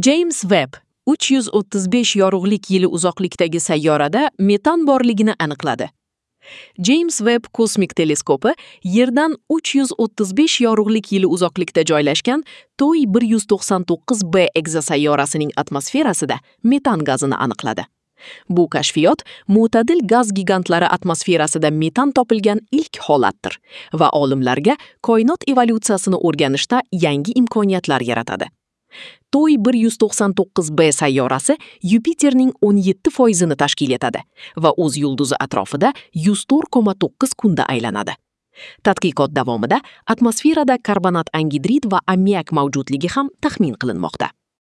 James Webb 335 yorug'lik yili uzoqlikdagi sayyorada metan borligini aniqladi. James Webb kosmik teleskopi Yerdan 335 yorug'lik yili uzoqlikda joylashgan TOI 199b ekzosayyorasining atmosferasida metan gazini aniqladi. Bu kashfiyot mo'tadil gaz gigantlari atmosferasida metan topilgan ilk holatdir va olimlarga koinot evolyutsiyasini o'rganishda yangi imkoniyatlar yaratadi. TOI 199b sayyorasi Yupiterning 17% ni tashkil etadi va o'z yulduzi atrofida 104,9 kunda aylanadi. Tadqiqot davomida atmosferada karbonat angidrid va ammiak mavjudligi ham taxmin qilinmoqda.